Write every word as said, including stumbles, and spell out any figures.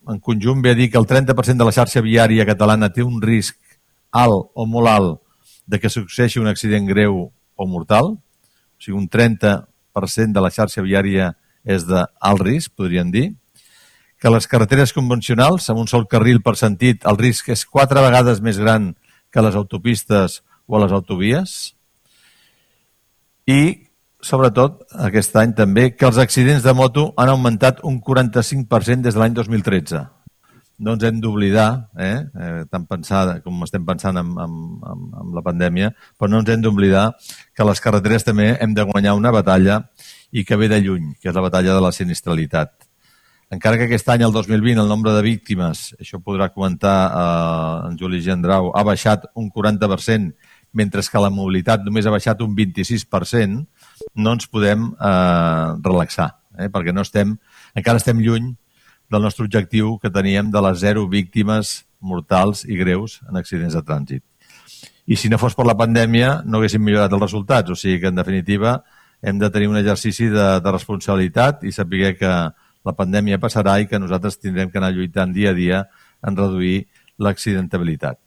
en conjunt ve a dir que el trenta per cent de la xarxa viària catalana té un risc alt o molt alt de que succeeixi un accident greu o mortal. O sigui, un trenta per cent de la xarxa viària és d'alt risc, podríem dir. Que les carreteres convencionals, amb un sol carril per sentit, el risc és quatre vegades més gran que les autopistes o les autovies. I, sobretot, aquest any també, que els accidents de moto han augmentat un quaranta-cinc per cent des de l'any dos mil tretze. No ens hem d'oblidar, eh, eh, tan pensada com estem pensant amb, amb, amb, amb la pandèmia, però no ens hem d'oblidar que a les carreteres també hem de guanyar una batalla i que ve de lluny, que és la batalla de la sinistralitat. Encara que aquest any, el dos mil vint, el nombre de víctimes, això podrà comentar eh, en Juli Gendrau, ha baixat un quaranta per cent, mentre que la mobilitat només ha baixat un vint-i-sis per cent, no ens podem eh, relaxar, eh, perquè no estem, encara estem lluny del nostre objectiu que teníem de les zero víctimes mortals i greus en accidents de trànsit. I si no fos per la pandèmia, no haguéssim millorat els resultats. O sigui que, en definitiva, hem de tenir un exercici de, de responsabilitat i saber que la pandèmia passarà i que nosaltres tindrem que anar lluitant dia a dia en reduir l'accidentabilitat.